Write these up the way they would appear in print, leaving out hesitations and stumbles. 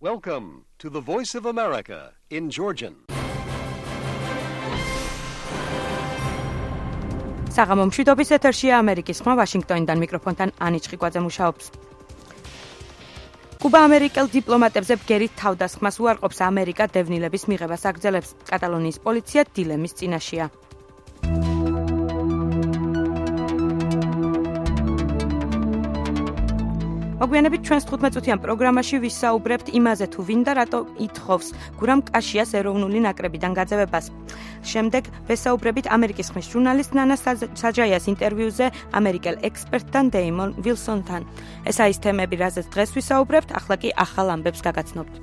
Welcome to the Voice of America in Georgian. საღამო მშვიდობის ეთერშია ამერიკის ხმა ვაშინგტონიდან მიკროფონთან ანი ჩხიკვაძე მუშაობს. კუბა ამერიკელ დიპლომატებზე ბგერით თავდასხმას უარყოფს ამერიკა დევნილების მიღებას აგრძელებს. კატალონიის პოლიცია დილემის წინაშეა. მოგვიანებით ჩვენს 15-წუთიან პროგრამაში ვისაუბრებთ იმაზე თუ ვინ და რატო ითხოვს გურამ კაშიას ეროვნული ნაკრებიდან გაძევებას. შემდეგ ვესაუბრებით ამერიკის ხმის ჟურნალისტ ნანა საჯაიას ინტერვიუზე ამერიკელ ექსპერტთან დეიმონ ვილსონთან. ესაა ის თემები, რაზეც დღეს ვისაუბრებთ, ახლა კი ახალ ამბებს გაგაცნობთ.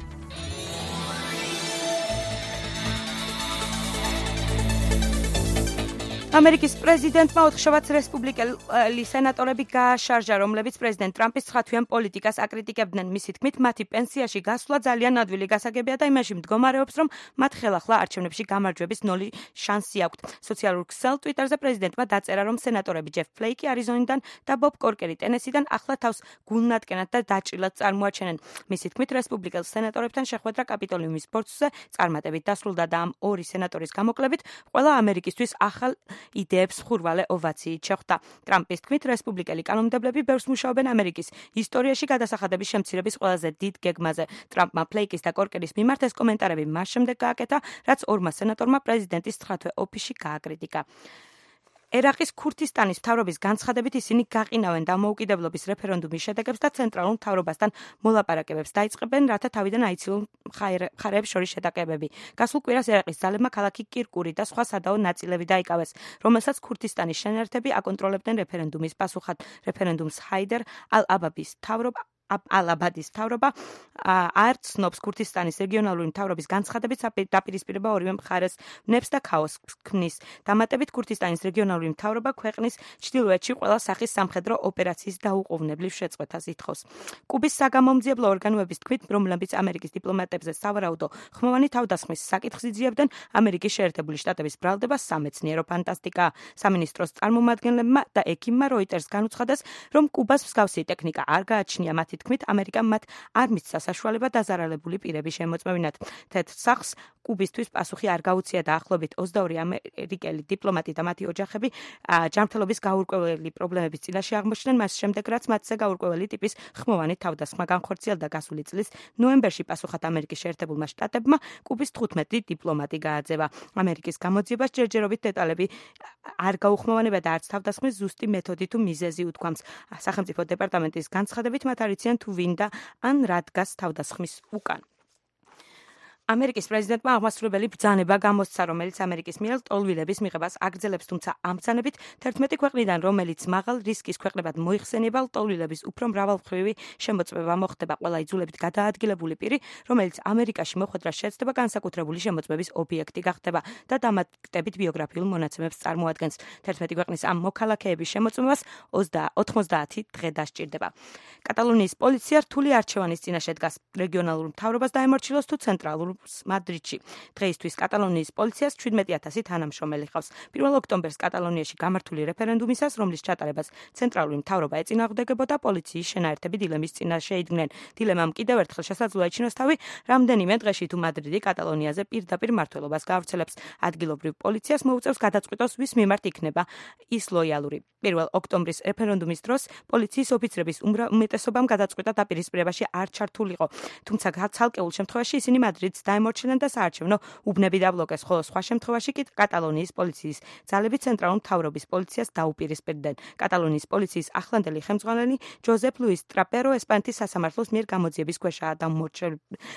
ამერიკის პრეზიდენტმა ოთხშაბათს რესპუბლიკელი სენატორები გააშარჟა, რომლებიც პრეზიდენტ ტრამპის ცხათვიან პოლიტიკას აკრიტიკებდნენ. მისი თქმით, მათი პენსიაში გასვლა ძალიან ადვილი გასაგებია და იმაში მდგომარეობს, რომ მათ ხელახლა არჩევნებში გამარჯვების 0 შანსი აქვთ. სოციალურ ქსელ ტვიტერზე პრეზიდენტმა დაწერა, რომ სენატორები ჯეფ ფლეიკი არიზონიდან და ბობ კორკერი ტენესიდან ახლა თავს გულნატკენად და დაჭრილად წარმოაჩენენ. მისი თქმით, რესპუბლიკელ სენატორებთან შეხვედრა კაპიტოლიუმის ბორცვზე წარმატებით დასრულდა და ამ ორი სენატორის გამოკლებით ყველა ამერიკისთვის ახალ იდეებს ხურვალე ოვაციით შეხვდა. ტრამპის თქმით, რესპუბლიკელი კანონმდებლები ბევრს მუშაობენ ამერიკის ისტორიაში გადასახადების შემცირების ყველაზე დიდ გეგმაზე. ტრამპმა ფლეიკის და კორკერის მიმართ ეს კომენტარები მას შემდეგ გააკეთა, რაც ორმა სენატორმა პრეზიდენტის ცხათვე ოფისში გააკრიტიკა. ერაყის ქურთისტანის მთავრობის განცხადებით ისინი გაყინავენ დამოუკიდებლობის რეფერენდუმის შედეგებს და ცენტრალურ მთავრობასთან მოლაპარაკებებს დაიწყებენ, რათა თავიდან აიცილონ მხარეებს შორის შეტაკებები. გასულ კვირას ერაყის ძალებმა ქალაქი კირკური და სხვა სადაო ნაწილები დაიკავეს, რომელსაც ქურთისტანის შენერთები აკონტროლებდნენ რეფერენდუმის პასუხად. რეფერენდუმს ჰაიდერ ალ-აბადის მთავრობა არ ცნობს ქურთისტანის რეგიონალური მთავრობის განცხადებით დაპირისპირება ორივე მხარეს ვნებს და ქაოსს ქმნის. დამატებით ქურთისტანის რეგიონალური მთავრობა ქვეყნის ჩრდილოეთში ყველა სახის სამხედრო ოპერაციის დაუყოვნებლივ შეწყვეტას ითხოვს. კუბის საგამომძიებლო ორგანოების თქმით, რომლებიც ამერიკის დიპლომატებზე სავარაუდო ხმოვანი თავდასხმის საკითხს იძიებდნენ, ამერიკის შეერთებული შტატების ბრალდება სამეცნიერო ფანტასტიკაა. სამინისტროს წარმომადგენლებმა და ექიმმა როიტერს განუცხადეს, რომ კუბას მსგავსი ტექნიკა არ გააჩნია. მათი თქმით, ამერიკამ მათ არ მისცა საშუალება დაზარალებული პირების შემოწმევინათ. თეთრ სახლს კუბისთვის პასუხი არ გაუწია და ახლობით 22 ამერიკელი დიპლომატი და მათი ოჯახები ჯანმრთელობის გაურკვეველი პრობლემების წინაშე აღმოჩნდნენ, მას შემდეგ რაც მათზე გაურკვეველი ტიპის ხმოვანი თავდასხმა განხორციელდა. გასული წლის ნოემბერში პასუხად ამერიკის შეერთებულმა შტატებმა კუბის 15 დიპლომატი გააძევა. ამერიკის გამოძიებას ჯერჯერობით დეტალები არ გაუხმოვანება და არც თავდასხმის ზუსტი მეთოდი თუ მიზეზი უთქვამს. სახელმწიფო დეპარტამენტის განცხადებით მათ არიციან თუ ვინ და ან რა დგას თავდასხმის უკან. ამერიკის პრეზიდენტმა აღმასრულებელი ბრძანება გამოსცა, რომელიც ამერიკის მიერ ტოლვილების მიღებას აგრძელებს, თუმცა ამ ბრძანებით 11 ქვეყნიდან, რომელიც მაღალ რისკის ქვეყნებად მოიხსენება, ტოლვილების უფრო მრავალმხრივი შემოწმება მოხდება. ყველა იძულებით გადაადგილებული პირი, რომელიც ამერიკაში მოხვედრას შეეცდება, განსაკუთრებული შემოწმების ობიექტი გახდება და დამატებით ბიოგრაფიულ მონაცემებს წარმოადგენს. 11 ქვეყნის ამ მოქალაქეების შემოწმებას 90 დღე დასჭირდება. კატალონიის პოლიცია რთული არჩევანის წინაშე დგას. რეგიონალურ მთავრობას დაემორჩილოს თუ ცენტრალურ მადრიდში. დღეისთვის კატალონიის პოლიციას 17,000 თანამშრომელი ჰყავს. 1 ოქტომბერს კატალონიაში გამართული რეფერენდუმისას, რომლის ჩატარებას ცენტრალური მთავრობა ეწინააღმდეგებოდა, პოლიციის შენაერთები დილემის წინაშე იდგნენ. დილემამ კიდევ ერთხელ შესაძლოა ეჩინოს თავი რამდენიმე დღეში, თუ მადრიდი კატალონიაზე პირდაპირ მმართველობას გაავრცელებს. ადგილობრივ პოლიციას მოუწევს გადაწყვიტოს, ვის მიმართ იქნება ის ლოიალური. 1 ოქტომბრის რეფერენდუმის დროს პოლიციის ოფიცრების უმეტესობამ გადაწყვიტა დაპირისპირებაში არ ჩართულიყო. თუმცა ცალკეულ შემთხვევაში ისინი მადრიდს დაემორჩიlen და საარჩევნო უბნები დაბლოკეს, ხოლო სხვა შემთხვევაში კი კატალონიის პოლიციის ძალები ცენტრალურ მთავრობის პოლიციას დაუპირისპირდნენ. კატალონიის პოლიციის ახლანდელი ხელმძღვანელი ჯოზეფ ლუის ტრაპერო ესპანეთის სასამართლოს მიერ გამოძიების ქვეშაა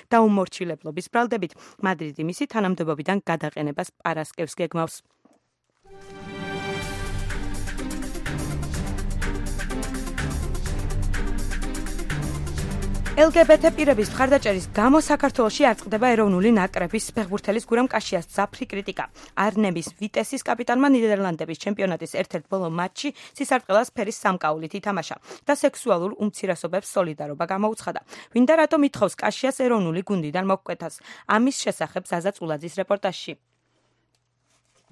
დაუმორჩილებლობის ბრალდებით. მადრიდი მისი თანამდებობიდან გადაყენებას პარასკევს გეგმავს. LGBT პირების მხარდაჭერის გამო საქართველოში არ წყდება ეროვნული ნაკრების ფეხბურთელის გურამ კაშიას ძაფრი კრიტიკა. არნემის ვიტესის კაპიტანმა ნიდერლანდების ჩემპიონატის ერთ-ერთ ბოლო მატჩში სისარტყელას ფერის სამკაულით ითამაშა და სექსუალურ უმცირესობებს სოლიდარობა გამოუცხადა. ვინ და რატომ ითხოვს კაშიას ეროვნული გუნდიდან მოკვეთას? ამის შესახებ ზაზა წულაძის რეპორტაჟში.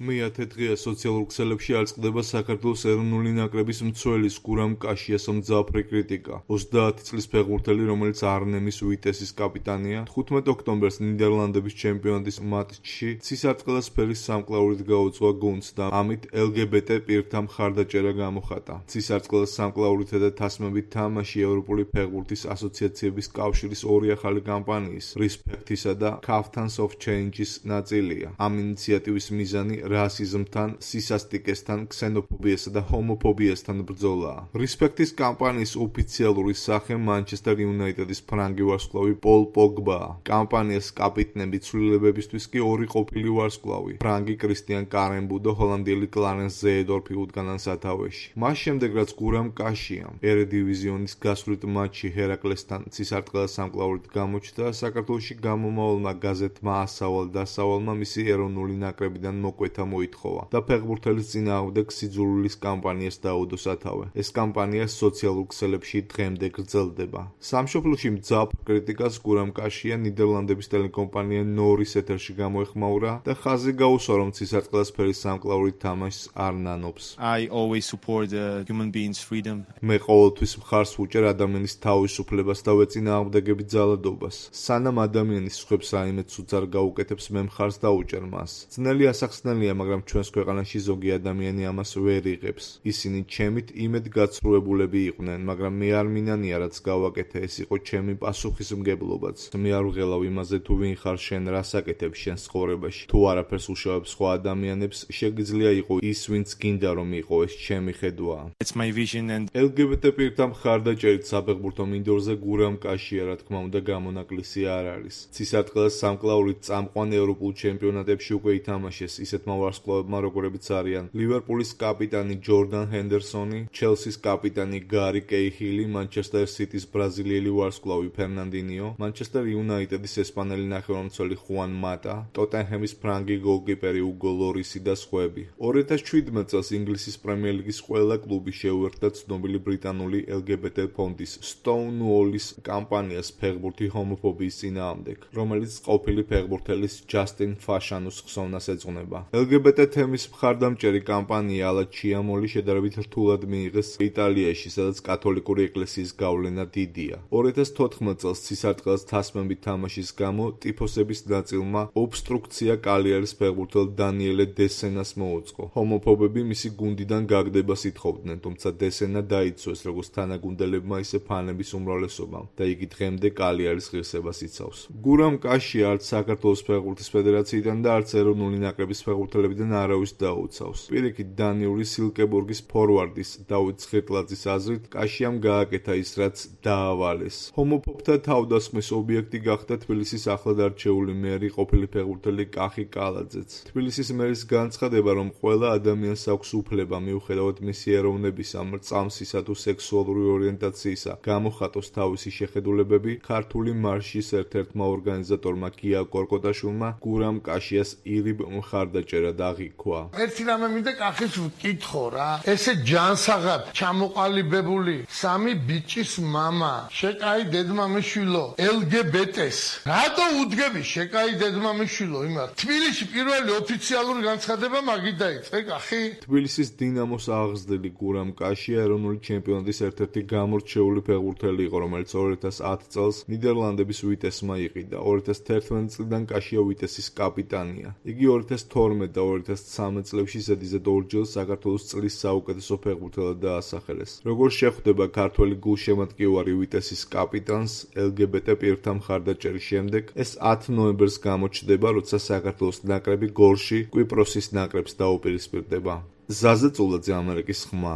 მეათე დღეა სოციალურ ქსელებში არ წყდება საქართველოს ეროვნული ნაკრების მცველის გურამ კაშიას მძაფრი კრიტიკა. 30 წლის ფეხბურთელი, რომელიც არნემის ვიტესის კაპიტანია, 15 ოქტომბერს ნიდერლანდების ჩემპიონატის მატჩში ცისარტყელას ფერის სამკლაურით გაუძღვა გუნდს და ამით LGBT პირთა მხარდაჭერა გამოხატა. ცისარტყელას სამკლაურითა და თასმებით თამაში ევროპული ფეხბურთის ასოციაციების კავშირის ორი ახალი კამპანიის Respect-ისა და Captains of Change-ის ნაწილია. ამ ინიციატივის მიზანი რასიზმთან, სისასტიკესთან, ქსენოფობიასა და ჰომოფობიასთან ბრძოლაა. Respect-ის კამპანიის ოფიციალური სახე Manchester United-ის ფრანგი ვარსკვლავი პოლ პოგბაა. კამპანიას კაპიტნები ცვლილებებისთვის კი ორი ყოფილი ვარსკვლავი, ფრანგი კრისტიან კარენბუ და ჰოლანდიელი კლარენს ზეედორფი უდგანან სათავეში. მას შემდეგ რაც გურამ კაშიამ ერედივიზიონის გასვლით მატჩი ჰერაკლესთან ცისარტყელას სამკლაურით გამოჩნდა, საქართველოში გამომავალმა გაზეთმა ასავალ დასავალმა მისი ეროვნული ნაკრებიდან მოკვეთა მოითხოვა და ფეხბურთელის წინააღმდეგ სიძულვილის კამპანიას დაუდო სათავე. ეს კამპანია სოციალურ ქსელებში დღემდე გრძელდება. სამშობლოში მძაფრ კრიტიკას გურამ კაშია ნიდერლანდების ტელეკომპანია ნორის ეთერში გამოეხმაურა და ხაზი გაუსვა, რომ ცისარტყელას ფერის სამკლაურით თამაშს არ ნანობს. I always support human beings' freedom. მე ყოველთვის მხარს ვუჭერ ადამიანის თავისუფლებას და ვეწინააღმდეგები ძალადობას. სანამ ადამიანის სხვებს რაიმე ცუდს არ გაუკეთებს, მე მხარს დაუჭერ მას. ძნელი ასახსნელია, მაგრამ ჩვენს ქვეყანაში ზოგი ადამიანი ამას ვერ იღებს. ისინი ჩემით იმედგაცრუებულები იყვნენ, მაგრამ მე არ მინანია რაც გავაკეთე, ეს იყო ჩემი პასუხისმგებლობაც. მე არ ვღელავ იმაზე თუ ვინ ხარ შენ, რას აკეთებ შენს ცხოვრებაში. თუ არაფერს უშავებ სხვა ადამიანებს, შეგიძლია იყო ის, ვინც გინდა რომ იყო, ეს ჩემი ხედვაა. It's my vision and LGBT პირთა მხარდაჭერით საფეხბურთო მინდორზე გურამ კაშია, რა თქმა უნდა, გამონაკლისი არ არის. ცისარტყელას სამკლაურით წამყვან ევროპულ ჩემპიონატებში უკვე ითამაშეს ისეთმა ვარსკვლავებმა, როგორებიც არიან ლივერპულის კაპიტანი ჯორდან ჰენდერსონი, ჩელსის კაპიტანი გარი კეიხილი, Manchester City-ს ბრაზილიელი ვარსკვლავი ფერნანდინიო, Manchester United-ის ესპანელი ნახევარმცველი ხუან მატა, ტოტენჰემის ფრანგი გოლკიპერი უგო ლორისი და სხვები. 2017 წელს ინგლისის პრემიერ-ლიგის ყველა კლუბი შეუერთდა ცნობილი ბრიტანული LGBT ფონდის Stonewall-ის კამპანიას ფეხბურთი ჰომოფობიის წინააღმდეგ, რომელიც ყოფილი ფეხბურთელის ჯასტინ ფაშანუს ხსოვნას ეძღვნება. LGBT თემის მხარდამჭერი კამპანია ალა ჩიამოლი შედარებით რთულად მიიღეს იტალიაში, სადაც კათოლიკური ეკლესიის გავლენა დიდია. 2014 წელს ცისარტყელას თასმებით თამაშის გამო ტიფოსების ნაწილმა ობსტრუქცია კალიარის ფეხბურთელ დანიელე დესენას მოუწყო. ჰომოფობები მისი გუნდიდან გაგდებას ითხოვდნენ, თუმცა დესენა დაიცვეს როგორც თანაგუნდელებმა, ისე ფანების უმრავლესობამ და იგი დღემდე კალიარის ღირსებას იცავს. გურამ კაშია არც საქართველოს ფეხბურთის ფედერაციიდან და არც ეროვნული ნაკრების ფეხბურთელებიდან არავის დაუცავს. პირიქით, დანიური სილკებურგის ფორვარდის დავით ცხირტლაძის აზრით, კაშიამ გააკეთა ის, რაც დაავალეს. ჰომოფობთა თავდასხმის ობიექტი გახდა თბილისის ახლად არჩეული მერი ყოფილი ფეხბურთელი კახი კალაძეც. თბილისის მერის განცხადება, რომ ყველა ადამიანს აქვს უფლება მიუხედავად მისი ეროვნებისა, მრწამსისა თუ სექსუალური ორიენტაციისა, გამოხატოს თავისი შეხედულებები, ქართული მარშის ერთ-ერთმა ორგანიზატორმა გია კორკოტაშვილმა გურამ კაშიას ირიბ მხარდაჭერა აღიქვა. ერთი რამე მინდა კახის ვკითხო რა. ესე ჯანსაღად ჩამოყალიბებული სამი ბიჭის მამა, შეკაი დედმამიშვილო, LGBT-ს. რატო უდგები შეკაი დედმამიშვილო იმათ? თბილისში პირველი ოფიციალური განცხადება მაგით დაიწყე კახი. თბილისის დინამოს აღზრდილი გურამ კაშია ეროვნული ჩემპიონატის ერთ-ერთი გამორჩეული ფეხბურთელი იყო, რომელიც 2010 წელს ნიდერლანდების ვიტესმა იყიდა. 2011 წლიდან კაშია ვიტესის კაპიტანია. იგი 2012 და 2013 წლებში ზედიზედ ორჯერ საქართველოს წლის საუკეთესო ფეხბურთელად დაასახელეს. როგორ შეხვდება ქართველი გულშემატკივარი ვიტესის კაპიტანს LGBT პირთა მხარდაჭერის შემდეგ, ეს 10 ნოემბერს გამოჩნდება, როცა საქართველოს ნაკრები გოლში კვიპროსის ნაკრებს დაუპირისპირდება. ზაზე წულაძე, ამერიკის ხმა,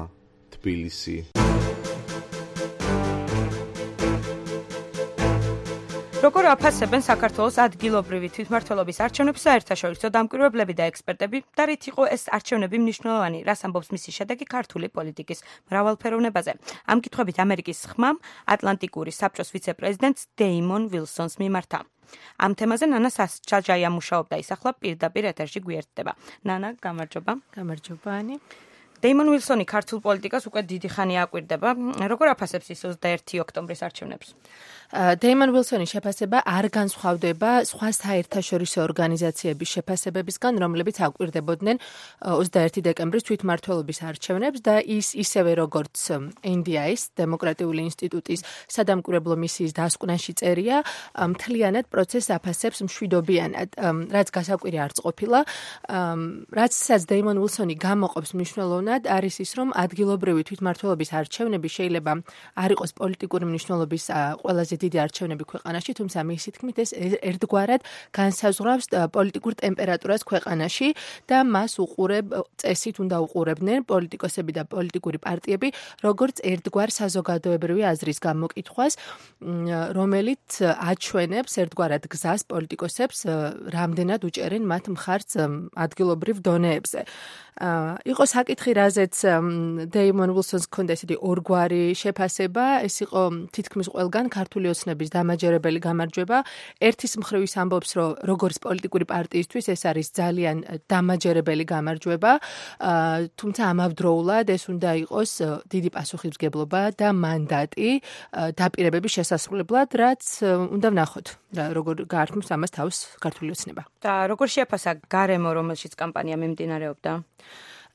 თბილისი. როგორ აფასებენ საქართველოს ადგილობრივი თვითმმართველობის არჩევნებს საერთაშორისო დამკვირვებლები და ექსპერტები და რით იყო ეს არჩევნები მნიშვნელოვანი, რას ამბობს მისი შედეგი ქართული პოლიტიკის მრავალფეროვნებაზე. ამ კითხვებით ამერიკის ხმამ ატლანტიკური საბჭოს ვიცე-პრეზიდენტს დეიმონ ვილსონს მიმართა. ამ თემაზე ნანა სასჯაია მუშაობდა, ის ახლა პირდაპირ ეთერში გვერდდება. ნანა, გამარჯობა. გამარჯობა, ანი. დეიმონ უილსონი ქართულ პოლიტიკას უკვე დიდი ხანი აკვირდება. როგორ აფასებს ის 21 ოქტომბრის არჩევნებს? დეიმონ უილსონის შეფასება არ განსხვავდება სხვა საერთაშორისო ორგანიზაციების შეფასებებისგან, რომლებიც აკვირდებოდნენ 21 დეკემბრის თვითმმართველობის არჩევნებს და ის ისევე როგორც NDI-ის, დემოკრატიული ინსტიტუტის სადამკვირვებლო მისიის დასკვნაში წერია, მთლიანად პროცესს აფასებს მშვიდობიანად, რაც გასაკვირი არ წყობილა. რაცაც დეიმონ უილსონი გამოყოფს მნიშვნელოვნად, არის ის, რომ ადგილობრივი თვითმმართველობის არჩევნები შეიძლება არ იყოს პოლიტიკური მნიშვნელობის ყველაზე დიდი არჩევნები ქვეყანაში, თუმცა მისი თქმით ეს ერთგვარად განსაზღვრავს პოლიტიკურ ტემპერატურას ქვეყანაში და მას წესით უნდა უყურებდნენ პოლიტიკოსები და პოლიტიკური პარტიები, როგორც ერთგვარ საზოგადოებრივი აზრის გამოკითხვას, რომელიც აჩვენებს ერთგვარად გზას პოლიტიკოსებს, რამდენად უჭერენ მათ მხარს ადგილობრივ დონეებზე. იყო საკითხი, რაზეც დეიმონ უილსონს ჰქონდა ესეთი ორგვარი შეფასება, ეს იყო თითქმის ყველგან ქართული ოცნების დამაჯერებელი გამარჯვება. ერთის მხრივ ის ამბობს, რომ როგორც პოლიტიკური პარტიისთვის ეს არის ძალიან დამაჯერებელი გამარჯვება, თუმცა ამავდროულად ეს უნდა იყოს დიდი პასუხისმგებლობა და მანდატი დაპირებების შესასრულებლად, რაც უნდა ვნახოთ, როგორ გაართმევს ამას თავს ქართული ოცნება. და როგორ შეაფასა გარემო, რომელშიც კამპანია მიმდინარეობდა?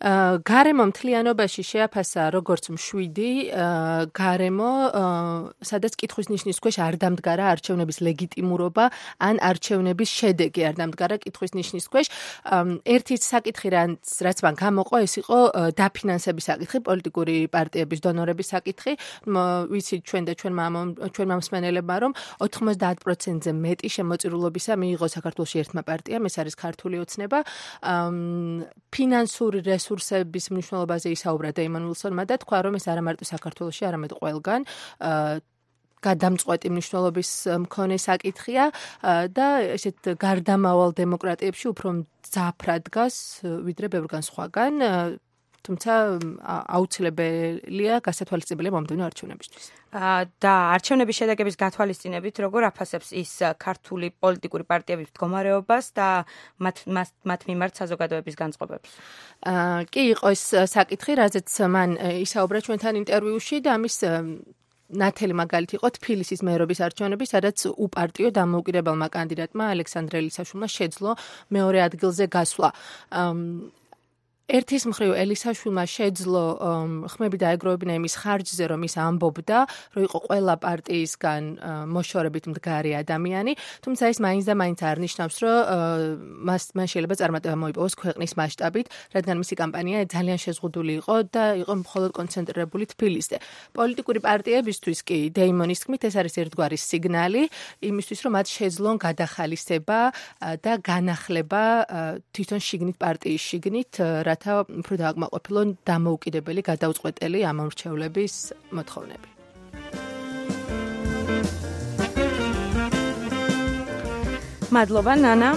გარემო მთლიანობაში შეაფასა როგორც მშვიდი გარემო, სადაც კითხვის ნიშნის ქვეშ არ დამდგარა არჩევნების ლეგიტიმურობა ან არჩევნების შედეგი არ დამდგარა კითხვის ნიშნის ქვეშ. ერთი საკითხი, რაც მან გამოყო, ეს იყო დაფინანსების საკითხი, პოლიტიკური პარტიების დონორების საკითხი. ვიცით ჩვენ და ჩვენმა მსმენელებმა, რომ 90%-ზე მეტი შემოწირულობისა მიიღო საქართველოში ერთმა პარტიამ, ეს არის ქართული ოცნება. ფინანსური რესურსების მნიშვნელობაზე ისაუბრა დეიმონ უილსონმა და თქვა, რომ ეს არა მარტო საქართველოში, არამედ ყველგან გადამწყვეტი მნიშვნელობის მქონე საკითხია და ესეთ გარდამავალ დემოკრატიებში უფრო მძაფრად დგას ვიდრე ბევრგან სხვაგან, თუმცა აუცილებელია გასათვალისწინებელია მომდევნო არჩევნებისთვის. და არჩევნების შედეგების გათვალისწინებით როგორ აფასებს ის ქართული პოლიტიკური პარტიების მდგომარეობას და მათ მიმართ საზოგადოების განწყობებს? კი, იყო ეს საკითხი, რაზეც მან ისაუბრა ჩვენთან ინტერვიუში და ამის ნათელი მაგალითი იყო თბილისის მერობის არჩევნები, სადაც უპარტიო დამოუკიდებელმა კანდიდატმა ალექსანდრე ელისაშვილმა შეძლო მეორე ადგილზე გასვლა. ერთის მხრივ ელისაშვილმა შეძლო ხმები დაეგროვებინა იმის ხარჯზე, რომ ის ამბობდა, რომ იყო ყველა პარტიისგან მოშორებით მდგარი ადამიანი, თუმცა ეს მაინც და მაინც არ ნიშნავს, რომ მან შეიძლება წარმატება მოიპოვოს ქვეყნის მასშტაბით, რადგან მისი კამპანია ძალიან შეზღუდული იყო და იყო მხოლოდ კონცენტრირებული თბილისზე. პოლიტიკური პარტიებისთვის კი დეიმონის თქმით ეს არის ერთგვარი სიგნალი იმისთვის, რომ მათ შეძლონ გადახალისება და განახლება თვითონ შიგნით პარტიის შიგნით, უფრო დააკმაყოფილონ დამოუკიდებელი გადაუწყვეტელი ამორჩევლების მოთხოვნები. მადლობა ნანა,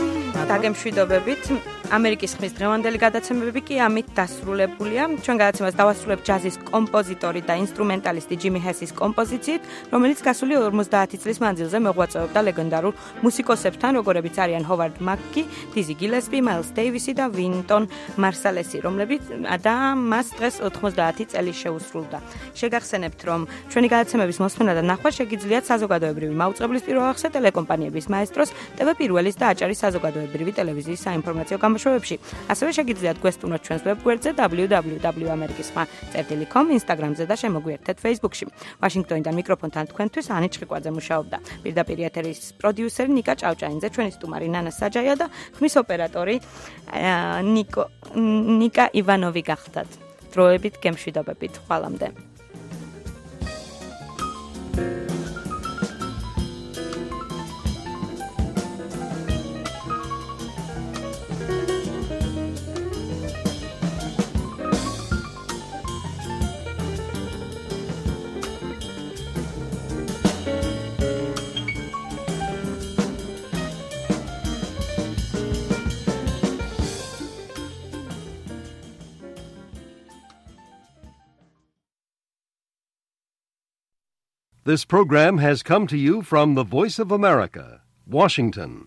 დაგემშვიდობებით. ამერიკის ხმის დღევანდელი გადაცემები კი ამით დასრულებულია. ჩვენ გადაცემას დავასრულებთ ჯაზის კომპოზიტორი და ინსტრუმენტალისტი ჯიმი ჰესის კომპოზიციით, რომელიც გასული 50 წლის მანძილზე მოღვაწეობდა ლეგენდარულ მუსიკოსებთან, როგორებიც არიან ჰოვარდ მაკი, დიზი გილესპი, მაილს დეივისი და ვინტონ მარსალესი, რომლებიც და მას დღეს 90 წელი შეუსრულდა. შეგახსენებთ, რომ ჩვენი გადაცემების მოსმენა და ნახვა შეგიძლიათ საზოგადოებრივი მაუწყებლის პირველ ახსე ტელეკომპანიების მაესტროს, TV პირველის და აჭარის საზოგადოებრივი ტელევიზიის საინფორმაციო გამოშვებებში. ასევე შეგიძლიათ გვესტუნოთ ჩვენს ვებგვერდზე www.amerikisma.com, Instagram-ზე და შემოგვიერთეთ Facebook-ში. ვაშინგტონიდან მიკროფონთან თქვენთვის ანი ჩხიკვაძე მუშაობდა. პირდაპირ ეთერის პროდიუსერი ნიკა ჭავჭაინძე, ჩვენი სტუმარი ნანა საჯაია და ხმის ოპერატორი ნიკა ივანოვი გახდათ. დროებით გემშვიდობებით. ხვალამდე. This program has come to you from the Voice of America, Washington.